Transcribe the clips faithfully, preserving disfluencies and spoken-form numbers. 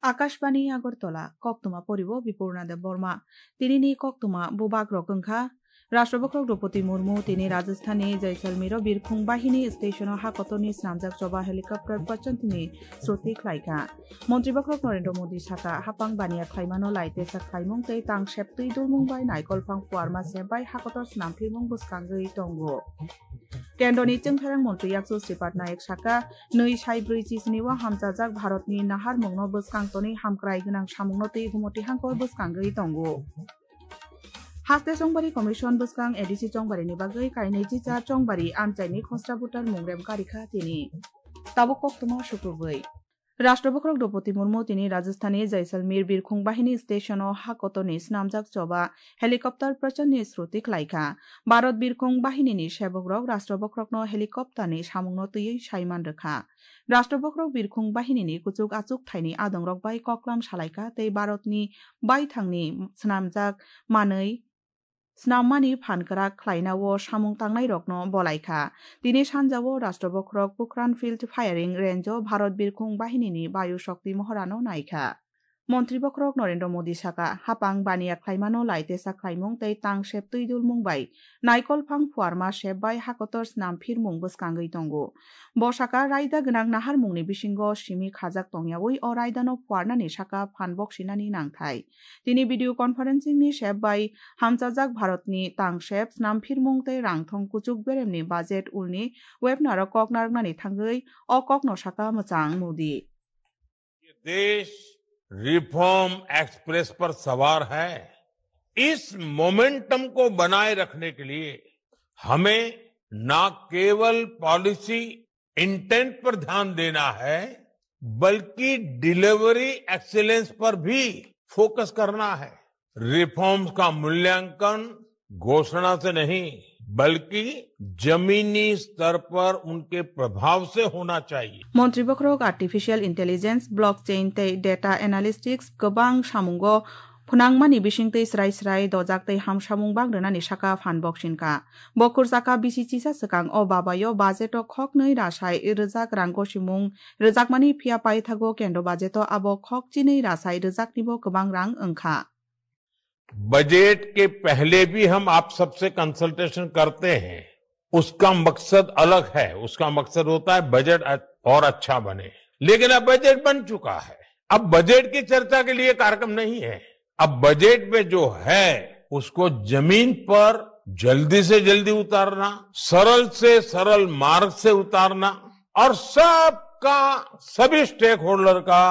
Akashbani Agartala, koktwma poribo Bipurna Debbarma. Tinini koktwma bubagrok wngkha, Rashtra Bokhorok Droupadi Murmu tini Rajasthanni Jaisalmero birkhung bahini stationo ha kotorni snamjak choba helicopter pachantini sruti khlaikha. Montri Bokhorok Narendra Modi sakha, hapang baniya khlaimano laitesa khlaimung tei tangsep twi dulmung bai naikolphang phuarma sep bai ha kotor snamphirmung bwskangwi tongo. Kendroni chwngpherang montri yakchu Sripad Nayak sakha, nwi sai brwi chisni o hamchajak Bharatni naharmungno bwskang tonwi hamkrai gwnang samungno twi gumoti hangkor bwskangwi tongo. Haste Chongbari Commission bwskang A D C Chongbarini bagwi kainwi chicha Chongbari amchaini khosra voter mungrem karikha tini. Tabuk koktwma sukrubwi. Rashtra Bokhorok Droupadi Murmu tini Rajasthanni Jaisalmer birkhung bahini stationo ha kotorni snamjak choba helicopter pachantni sruti khlaikha. Bharat birkhung bahinini sebokrok Rashtra Bokhorokno helicopterni samungno twiwi saiman rwkha. Rashtra Bokhorok birkhung bahinini kuchuk achuk thaini adongrok bai koklam salaikha tei Bharatni baithangni snamjak manwi snammani phan kwrak khlainao samung tangnairokno bolaikha. Tini sanjao Rashtra Bokhorok Pokhran Field Firing Range-o Bharat birkhung bahinini Bayu Shakti mohorano naikha. Montri Bokhorok Narendra Modi sakha, hapang baniya khlaimano laitesa khlaimung tei tangsep twi dulmung bai naikolphang phuarma sep bai ha kotor snamphirmung bwskangwi tongo. Bo sakha, raida gwnang naharmungni bisingo simi khajak tongyawi o raidano phuarnani sakha phan boksinani nangthai. Tini video conferencing ni sep bai hamchajak Bharatni tangsep snamphirmung tei rangthong kuchuk beremni budget ulni webinar o kok narwknani thangwi o kokno sakha mwchang Modi. ये देश reform express पर सवार है। इस मोमेंटम को बनाए रखने के लिए हमें ना केवल पॉलिसी इंटेंट पर ध्यान देना है, बल्कि डिलीवरी एक्सीलेंस पर भी फोकस करना है। रिफॉर्म्स का मूल्यांकन घोषणा से नहीं, बल्कि जमीनी स्तर पर उनके प्रभाव से होना चाहिए। Montri Bokhorok Artificial Intelligence, Blockchain tei Data Analytics kwbang samungo phwnangmani bisingtwi srai srai dojak tei hamsamung bang rwnani sakha phan boksinka. Bo khurchaka bisi chisa swkang o babayo budget o khoknwi rasai rwjak rang gosimung rwjakmani, phiya paithago kendro budget o abo khok chinwi rasai rwjaknibo kwbang rang wngkha. Budget के पहले भी हम आप सबसे कंसल्टेशन करते हैं, उसका मकसद अलग है, उसका मकसद होता है बजट अ-, और अच्छा बने। लेकिन अब बजट बन चुका है, अब बजट की चर्चा के लिए कार्यक्रम नहीं है। अब बजट में जो है उसको जमीन पर जल्दी से जल्दी उतारना, सरल से सरल मार्ग से उतारना और सबका, सभी स्टेक होल्डर का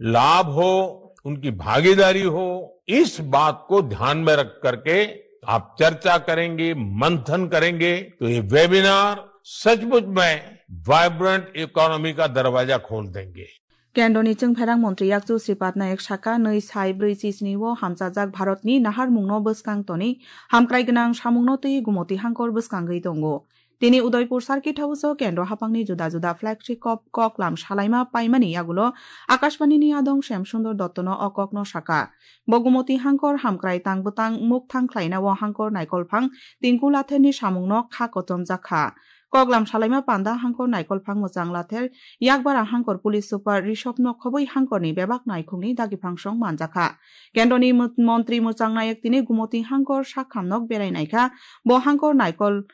लाभ हो, उनकी भागीदारी हो, इस बात को ध्यान में रख करके आप चर्चा करेंगे, मंथन करेंगे, तो ये वेबिनार सचमुच में वाइब्रेंट इकोनॉमी का दरवाजा खोल देंगे। Kendroni chwngpherang montri yakchu Sripad Nayak sakha, nwi sai brwi chisni o hamchajak Bharatni naharmungno bwskang toni hamkrai gwnang samungno twi gumoti hangkor bwskangwi tongo. Tini Udaipur Circuit House o kendro hapangni juda juda flagship kok, koklam salaima paimani yagulo Akashbani ni adong Shyam Sundar Dotto no o kokno sakha. Bo gumoti hangkor hamkrai tang bwtang mukthang khlaina o hangkor naikolphang Tinku Lather ni samungno kha kochomjak kha. Koklam salaima panda hangkor naikolphang mwchang Lather, yakbara hangkor police super Rishabh no khobwi hangkorni bebak naikhungni dagiphangsong manjakha. Kendroni mot-, montri mwchang Nayak tini gumoti hangkor sakham nok berai naikha. Bo hangkor naikol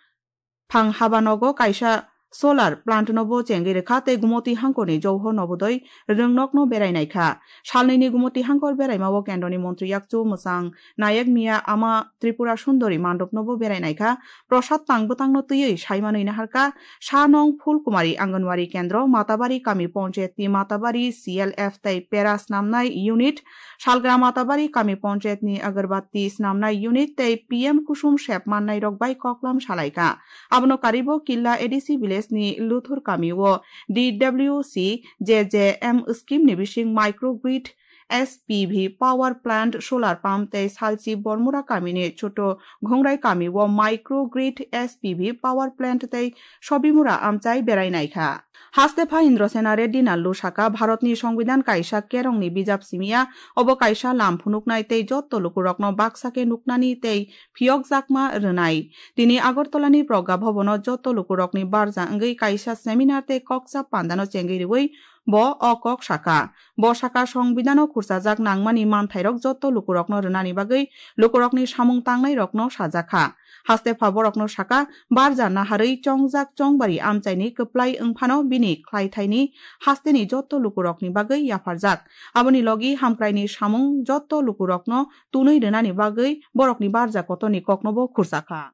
phang habanogo kaisa solar plant no bo chengwi rwkha tei gumoti hangkorni Johor Nobodoi rwngnokno berai naikha. Salnwini gumoti hangkor beraima o kendroni montri yakchu mwchang Nayak miya ama Tripura Sundori mandopno bo berai naikha. Prasad tang bwtangno twiwi saimanwi naharkha, Sanong Phulkumari Anganwadi Kendro, Matabari Kami Panchayatni Matabari C L F tei Pera Snamnai Unit, Salgra Matabari Kami Panchayatni Agarbatti Snamnai Unit tei P M Kusum sep mannairok bai koklam salaikha. Abono karibo Killa A D C village ni Luthur Kami o D W C J J M scheme ni bising microgrid S P V power plant, solar pump tei salchi Bormura kamini Choto Ghungrai kami o micro grid S P V power plant tei Sobimura amchai berai naikha. Hastepha Indrasena Reddy Nallu saka, Bharatni Songbidan kaisa kerongni bijap simiya, obo kaisa lam phunuknai tei jotto lukurokno baksa khe nuknani tei phiyokjakma rwnai. Tini Agartalani Pragya Bhabono jotto lukurokni barja wngwi kaisa seminar tei koksa pandano chengwi rwui bo o kok saka. Bo saka, Songbidano khurchajak nangmani manthairok jotto lukurokno rwnani bagwi lukurokni samung tangnairokno sajakha. Hastepha borokno saka, barja naharwi chongjak chongbari amchaini kwplai wngphano bini khlaithaini hasteni jotto lukurokni bagwi yapharjak. Aboni logi hamkraini samung jotto lukurokno tunwi rwnani bagwi borokni barja kotorni koknobo khurchakha.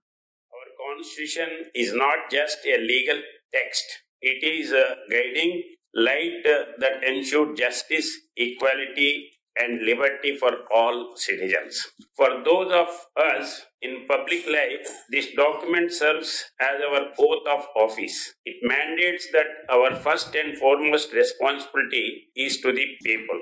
Our constitution is not just a legal text. It is a guiding light, uh, that ensures justice, equality, and liberty for all citizens. For those of us in public life, this document serves as our oath of office. It mandates that our first and foremost responsibility is to the people.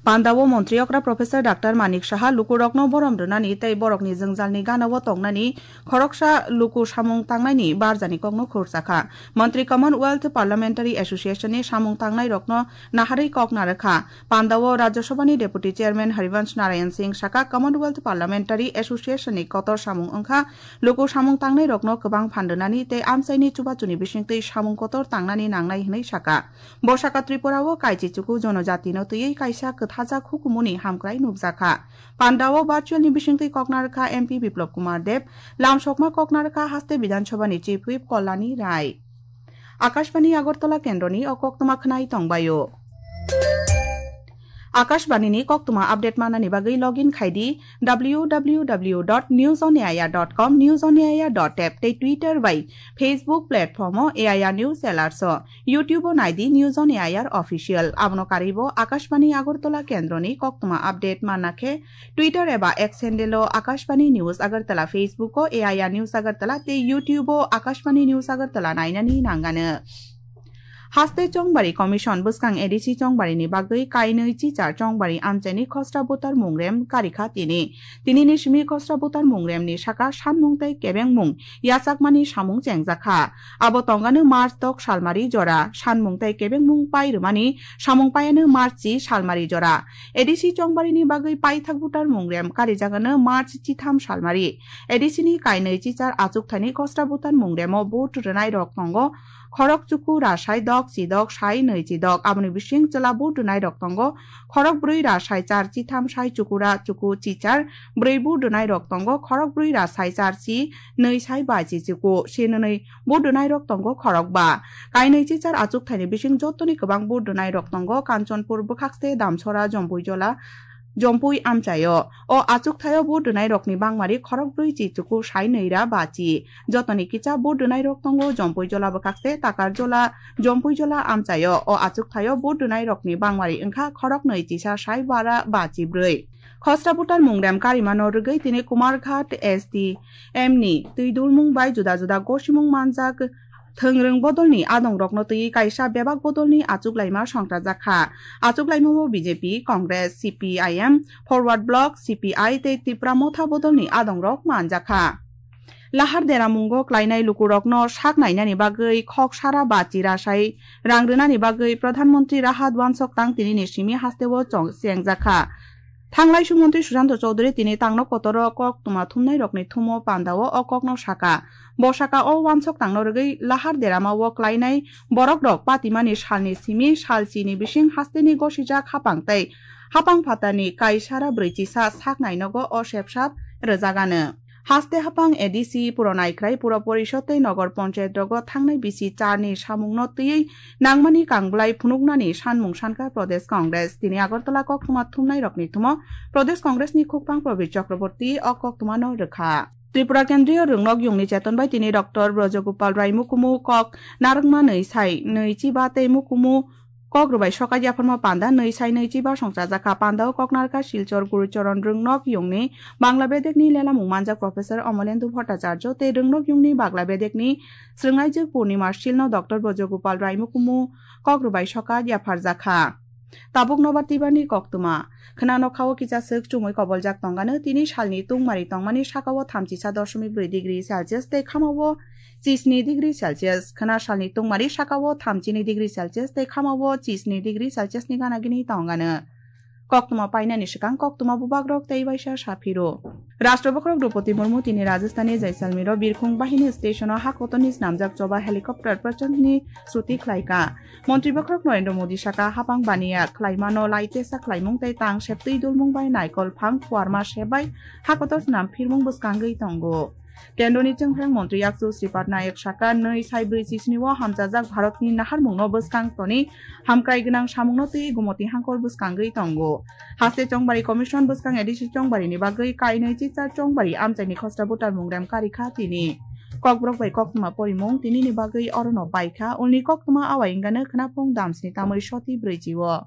Pandao montri okra Professor Doctor Manik Saha lukurokno borom rwnani tei borokni jwngjalni ganao tongnani khoroksa luku samung tangnaini barjani kokno khurchakha. Montri Commonwealth Parliamentary Association ni samung tangnairokno naharwi kok narwkha. Pandao Rajya Sabhani Deputy Chairman Harivansh Narayan Singh saka, Commonwealth Parliamentary Association ni kotor samung wngkha luku samung tangnairokno kwbang phan rwnani tei amchaini chubachuni bisingtwi samung kotor tangnani nangnai hwnwi saka. Bo saka Tripura o kaichi chuku jonojati no twiwi kaisa kwthajak hukumuni hamkrai nukjakha. Pandao virtual ni bisingtwi koknarwkha M P Biplab Kumar Deb, lamsokma koknarwkha haste Bidhan Sabha ni Chief Whip Kalyani Rai. Akashbani Agartala kendroni o koktwma khwnai tongbaio. Akashbani ni koktwma update manani bagwi login khai di W W W dot news on A I R dot com, news on A I R dot app tei Twitter bai Facebook platform o A I R News Alerts o. YouTube o nai di News on A I R Official. Abono karwi bo Akashbani Agartala kendroni koktwma update manna khe Twitter eba X handle o Akashbani News Agartala, Facebook o A I R News Agartala tei YouTube o Akashbani News Agartala nainani nangano. Haste Chongbari Commission bwskang A D C Chongbari ni bagwi kainwi chichar Chongbari amchaini khosra butar mungrem karikha tini. Tini ni simi khosra butar mungrem ni saka sanmung tei kebengmung yachakmani samung chengjakha. Abo tongano March dok salmari jora, sanmung tei kebengmung pai rwmani samung paiano March chi salmari jora. A D C Chongbarini bagwi paithak butar mungrem karijagano March chitham salmari. A D C ni kainwi chichar achukthani khosra butar mungremo vote rwnairok tongo, khorok chuku ra sai dok chi dok sai nwi chi dok. Aboni bising chwla vote rwnairok tongo, khorok brwi ra sai char chi tham sai chuku ra chuku chi char. Brwi vote rwnairok tongo, khorok brwi ra sai char chi nwi sai ba chi chuku. Sinwnwi vote rwnairok tongo khorok ba. Kainwi chichar achukthaini bising jotoni kwbang vote rwnairok tongo, Kanchanpur bwkhakste Damsora Jompuijola Jompui amchaio. O achukthaio vote rwnairokni bangmari khorok brwi chi chuku sai nwi ra ba chi. Jotoni kisa vote rwnairok tongo Jompuijola bwkhakste Takarjola Jompuijola amchaio. O achukthaio vote rwnairokni bangmari wngkha khorok nwi chisa sai bara ba chi brwi. Khosra butar mungrem karimano rwgwi tini Kumarghat S D M ni twi dulmung bai juda juda gosimung manjak. Thwngrwng bodolni adongrokno twiwi kaisa bebak bodolni achuklaima songchajak kha. Achuklaimao B J P, Congress, C P I M, Forward Bloc, C P I tei Tipra Motha bodolni adongrok manjak kha. Lahar deramungo klainai lukurokno sak nainani bagwi khok sara bachi rasai rang rwnani bagwi Pradhan Mantri Rahat Wansok Tang tinini simi hasteo chong-, chengjak kha. Thanglaisu Mantri Sushanta Chowdhury tini tangno kotoro kok tuma thumnairokni thumo pandao o kokno saka. Bo saka o wansok tangno rwgwi lahar derama o klainai borokrok patimani salni simi sal chini bising hasteni gosijak hapang tei hapang phatarni kaisara brwi chisa sak nainogo o sepsap rwjagano. Haste hapang A D C, Puro Naikhrai, Puro Porishod tei Nogor Panchayat rogo thangnai bisi charni samungno twiwi nangmani kangblai phunuknani sanmung sankha Pradesh Congress. Tini Agartala koktwma thumnairokni thumo Pradesh Congress ni khukphang Prabir Chakraborty o koktwmano rwkha. Tripura Kendriya Rwngnok Yungni cheton bai tini Doctor Brajagopal Rai Mukumu kok narwkma nwi sai nwi chiba tei Mukumu kok rwbai sokat yapharma panda nwi sai nwi chiba songchajak kha. Pandao kok narwkha Silchar Gurucharan Rwngnok Yungni Bangla bedekni lelamung manjak Professor Omolendu Bhattacharya tei Rwngnok Yungni Bagla bedekni swrwngnaijwk Purnima Silno Doctor Brajagopal Rai Mukumu kok rwbai sokat yapharjak kha. Tabuk nobar twibarni koktwma. Khna nokhao kisa swk chumui koboljak tongano tini salni tungmari tongmani sakao thamchisa doshomik brwi degree Celsius tei khamao chisni degree Celsius. Khna salni tungmari sakao thamchini degree Celsius tei khamao chisni degree Celsius ni gana gini tongano. Koktwma painani swkang koktwma bubagrok tei waisa saphiro. Rashtra bokhorok Droupadi Murmu tini Rajasthan ni Jaisalmer o Birkhung Bahini station o ha kotorni snamjak choba helicopter Prachand ni suti khlaika. Montri bokhorok Narendra Modi saka hapang baniya khlaimano lai tesa khlaimung tei tang septwi dulmung bai naikol phang phuarma sebai ha kotor snam phirmung bwskangwi tongo. Kendroni chwngphang montri yakchu Sripad Nayak saka nwi sai brwi chisni o hamchajak Bharatni naharmungno bwskang toni hamkrai gwnang samungno twi gumoti hangkor bwskangwi tongo. Haste Chongbari Commission bwskang A D C Chongbarini bagwi kainwi chichar Chongbari amchaini khosra butar mungrem karikha tini. Kokborok bai koktwma porimung tinini bagwi orono baikha, ulni koktwma awai wngano khnaphung damsni tamwi soti brwichi o.